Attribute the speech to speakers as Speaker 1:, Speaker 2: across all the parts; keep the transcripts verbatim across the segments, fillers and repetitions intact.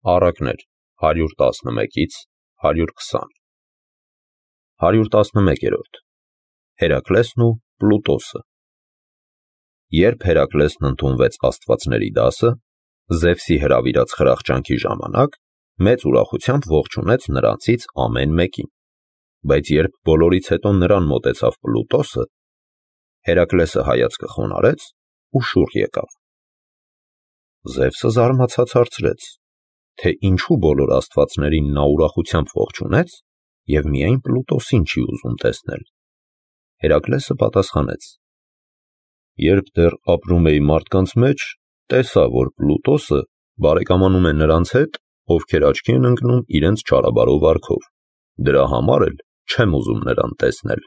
Speaker 1: Առակներ հարյուր տասնմեկից հարյուր քսան հարյուր տասնմեկերորդ Հերակլեսն ու Պլուտոսը Երբ Հերակլեսն ընդունվեց աստվածների դասը, Զևսի հրավիրած խրախճանքի ժամանակ մեծ ուրախությամբ ողջունեց նրանցից ամեն մեկին, բայց երբ բոլորից հետո նրան մոտեցավ Պլուտոսը, Հերակլեսը հայացքը խոնարհեց ու շուռ եկավ։ Զևսը զարմացած հարցրեց, թե ինչու բոլոր աստվածներին նա ուրախությամբ ողջունեց և միայն Պլուտոսին չի ուզում տեսնել։ Հերակլեսը պատասխանեց. Երբ դեռ ապրում էի մարդկանց մեջ, տեսա, որ Պլուտոսը բարեկամանում է նրանց հետ, ովքեր աչքի են ընկնում իրենց չարաբարո վարքով, դրա համար էլ չեմ ուզում նրան տեսնել։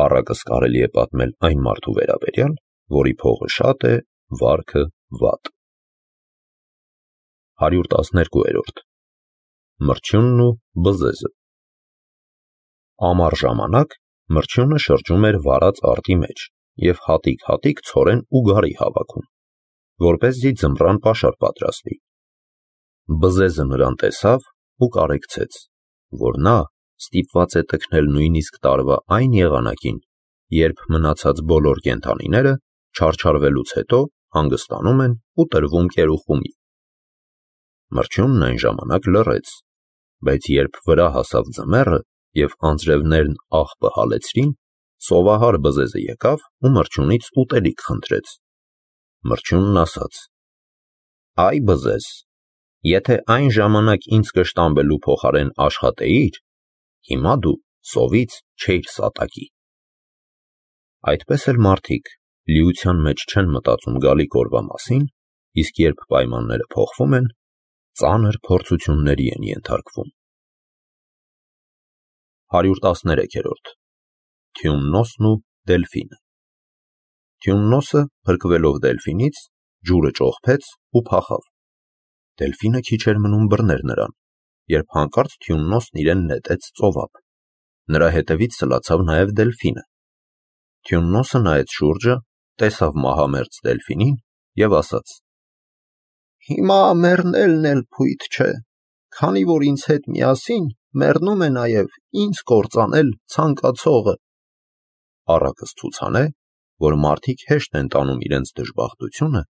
Speaker 1: Առակս կարելի է պատմել այն մարդու վերաբերյալ, որի փողը շատ է, վարքը վատ։ հարյուր տասներկուերորդ Մրջյունն ու բզեզը Ամառ ժամանակ մրջյունը շրջում էր վարած արտի մեջ և հատիկ-հատիկ ցորեն ու գարի հավաքում, որպեսզի ձմռան պաշար պատրաստի։ Բզեզը նրան տեսավ ու կարեկցեց, որ նա ստիպված է տքնել նույնիսկ տարվա այն եղանակին, երբ մնացած բոլոր կենդանիները չարչարվելուց հետո հանգստանում են ու տրվում կերուխումի։ Մրջյունն այն ժամանակ լռեց, բայց երբ վրա հասավ ձմեռը և անձրևներն աղբը հալեցրին, սովահար բզեզը եկավ ու մրջյունից ուտելիք խնդրեց։ Մրջյունն ասաց. Այ բզեզ, եթե այն ժամանակ ինձ կշտամբելու փոխարեն աշխատեիր, հիմա դու սովից չէիր սատակի։ Այդպես էլ մարդիկ լիության մեջ չեն մտածում գալիք օրվա մասին, իսկ երբ պայմանները փոխվում են, ծանր փորձությունների են ենթարկվում։ հարյուր տասներեքերորդ Թյումնոսն ու Դելֆինը Թյումնոսը, փրկվելով Դելֆինից, ջուրը ճողփեց ու փախավ։ Դելֆինը քիչ էր մնում բռներ նրան, երբ հանկարծ Թյումնոսն իրեն նետեց ծովափ։ Նրա հետևից սլացավ նաև Դելֆինը։ Թյումնոսը նայեց շուրջը, տեսավ մահամերձ Դելֆինին և ասաց. Հիմա մեռնելն էլ փույթ չէ, քանի որ ինձ հետ միասին մեռնում է նաև ինձ կործանել ցանկացողը։ Առակս ցուցան է, որ մարդիկ հեշտ են տանում իրենց դժբախտությունը,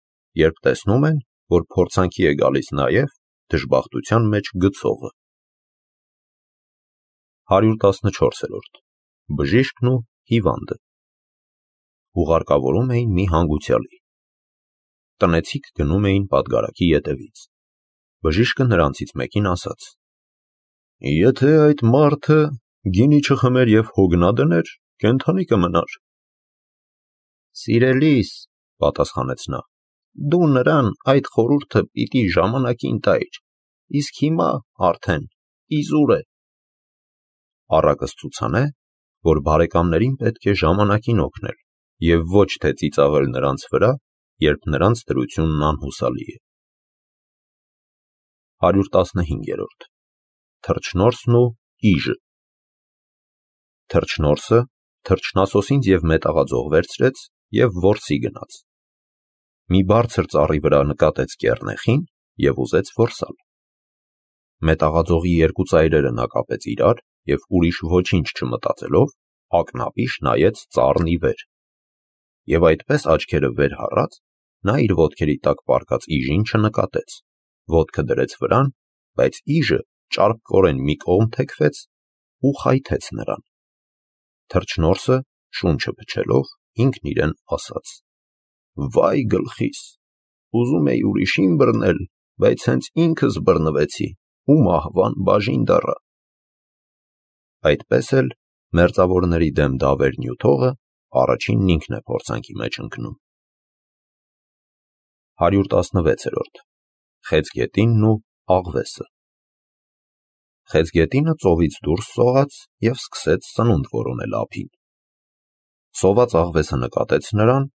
Speaker 1: երբ տեսնում են, որ փորձանքի է գալիս նաև դժբախտության մեջ գցողը։ հարյուր տասնչորսերորդ Բժիշկն ու հիվանդը Ուղարկավորում էին մի հանգուցյալի։ Տնեցիք գնում էին պատգարակի ետևից։ Բժիշկը նրանցից մեկին ասաց. Եթե այդ մարդը գինի չխմեր և հոգնա դներ, կենդանի կմնար։ Սիրելիս, պատասխանեց նա, դու նրան այդ խորհուրդը պիտի ժամանակին տայր, իսկ հիմա արդեն իզուր է։ Առակս ցուցան է, որ բարեկամներին պետք է ժամանակին օգնել և ոչ թե ծիծաղել նրանց վրա, երբ նրանց դրությունն անհուսալի է։ հարյուր տասնհինգերորդ Թռչնորսն ու Իժը Թռչնորսը թռչնասոսինձ և մետաղաձող վերցրեց և որսի գնաց։ Մի բարձր ծառի վրա նկատեց կեռնեխին և ուզեց որսալ։ Մետաղաձողի երկու ծայրերը նա կապեց իրար և ուրիշ ոչինչ չմտածելով, ակնապիշ նայեց ծառն ի վեր։ Եվ այդպես աչքերը վեր հառած, նա իր ոտքերի տակ պառկած իժին չնկատեց, ոտքը դրեց վրան, բայց իժը ճարպկորեն մի կողմ թեքվեց ու խայթեց նրան։ Թռչնորսը, շունչը փչելով, ինքն իրեն ասաց. Վայ գլխիս, ուզում էի ուրիշին բռնել, բայց հենց ինքս բռնվեցի ու մահվան բաժին դառա։ Այդպես էլ մերձավորների դեմ դավեր նյութողը առաջինն ինքն է փորձանքի մեջ ընկնում։ հարյուր տասնվեցերորդ Խեցգետինն ու աղվեսը Խեցգետինը ծովից դուրս սողաց և սկսեց սնունդ որոնել ափին։ Սոված աղվեսը նկատեց նրան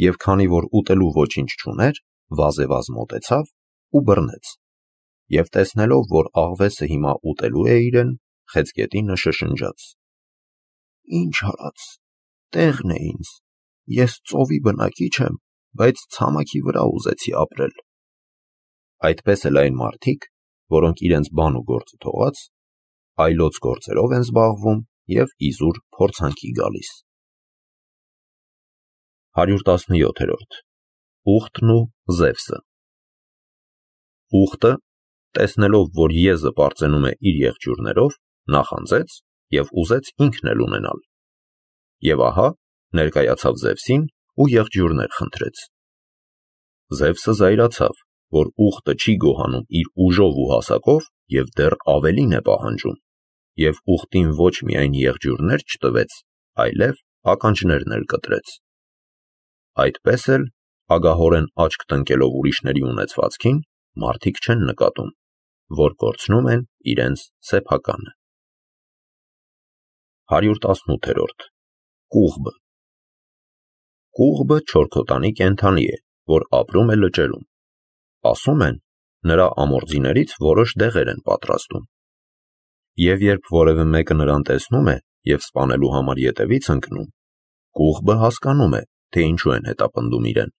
Speaker 1: և քանի որ ուտելու ոչինչ չուներ, վազեվազ մոտեցավ ու բռնեց։ Եվ տեսնելով, որ աղվեսը հիմա ուտելու է իրեն, Խեցգետինը շշնջաց. Ինչ արած, տեղն է ինձ, ես ծովի բնակիչ եմ, բայց ցամաքի վրա ուզեցի ապրել։ այդպես էլ այն մարդիկ, որոնք իրենց բան ու գործը թողած, այլոց գործերով են զբաղվում և իզուր փորձանքի գալիս։ հարյուր տասնյոթերորդ Ուղտն ու Զևսը։ Ուղտը, տեսնելով, որ եզը պարծենում է իր եղջյուրներով, նախանձեց և ուզեց ինքն էլ ունենալ։ Եվ ահա, ներկայացավ Զևսին ու եղջյուրներ խնդրեց։ Զևսը զայրացավ, որ ուղտը չի գոհանում իր ուժով ու հասակով և դեռ ավելին է պահանջում, և ուղտին ոչ միայն եղջյուրներ չտվեց, այլև ականջներն էլ կտրեց։ Այդպես էլ, ագահորեն աչք տնկելով ուրիշների ունեցվածքին, մարդիկ չեն նկատում, որ կորցնում են իրենց սեփականը։ հարյուր տասնութերորդ Կուղբը։ Կուղբը չորքոտանի կենդանի է, որ ապրում է լճերում։ Ասում են, նրա ամորձիներից որոշ դեղեր են պատրաստում։ Եվ երբ որևէ մեկը նրան տեսնում է և սպանելու համար ետևից ընկնում, Կուղբը հասկանում է, թե ինչու են հետապնդում իրեն,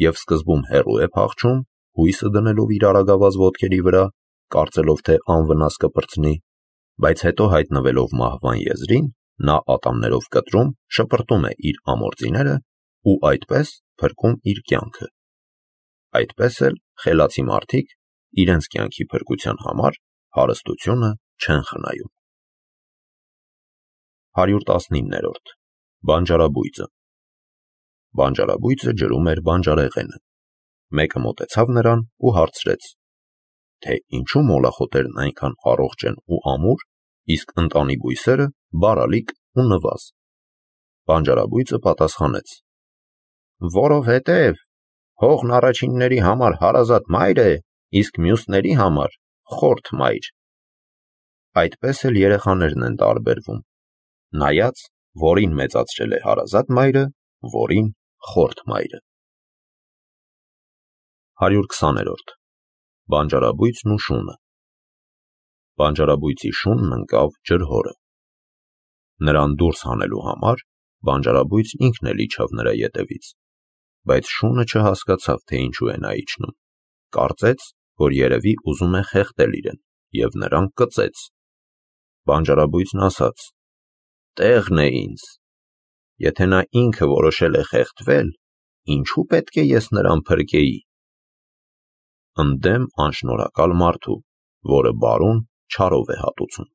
Speaker 1: և սկզբում հեռու է փախչում, հույսը դնելով իր արագավազ ոտքերի վրա, կարծելով, թե անվնաս կպրծնի, բայց հետո հայտնվելով մահվան եզրին, նա ատամներով կտրում շպրտում է իր ամորձիները ու այդպես փրկում իր կյանքը։ Այդպես էլ խելացի մարդիկ իրենց կյանքի փրկության համար հարստությունը չեն խնայում։ հարյուր տասնիններորդ Բանջարաբույծը։ Բանջարաբույծը ջրում էր բանջարեղենը։ Մեկը մոտեցավ նրան ու հարցրեց, թե ինչու մոլախոտերն այնքան առողջ են ու ամուր, իսկ ընտանի բույսերը բարալիկ ու նվազ։ Բանջարաբույծը պատասխանեց. Որովհետև հողն առաջինների համար հարազատ մայր է, իսկ մյուսների համար խորթ մայր։ Այդպես էլ երեխաներն են տարբերվում, նայած, որին մեծացրել է հարազատ մայրը, որին խորթ մայրը։ հարյուր քսաներորդ Բանջարաբույծն ու շունը։ Բանջարաբույծի շունն ընկավ ջրհորը։ Նրան դուրս հանելու համար բանջարաբույծն ինքն էլ իջավ նրա ետևից, բայց շունը չհասկացավ, թե ինչու է նա իջնում, կարծեց, որ երևի ուզում է խեղդել իրեն, և նրան կծեց։ Բանջարաբույծն ասաց. Տեղն է ինձ։ Եթե նա ինքը որոշել է խեղդվել, ինչու պետք է ես նրան փրկեի։ Ընդդեմ անշնորհակալ մարդու, որը բարուն չարով է հատուցում։